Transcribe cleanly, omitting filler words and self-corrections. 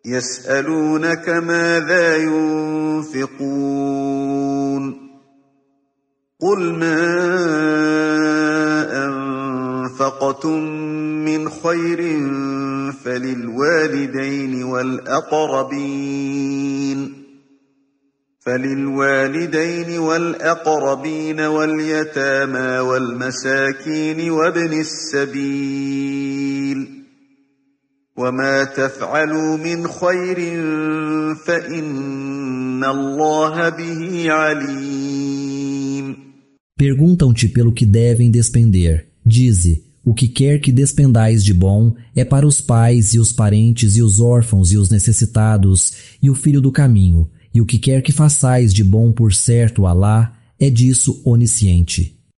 يسألونك ماذا ينفقون قل ما أنفقتم من خير فللوالدين والأقربين واليتامى والمساكين وابن السبيل وما تفعلوا من خير فإن الله به عليم. Perguntam-te pelo que devem despender. Dize: o que quer que despendais de bom é para os pais e os parentes e os órfãos e os necessitados e o filho do caminho, e o que quer que façais de bom por certo Alá é disso onisciente.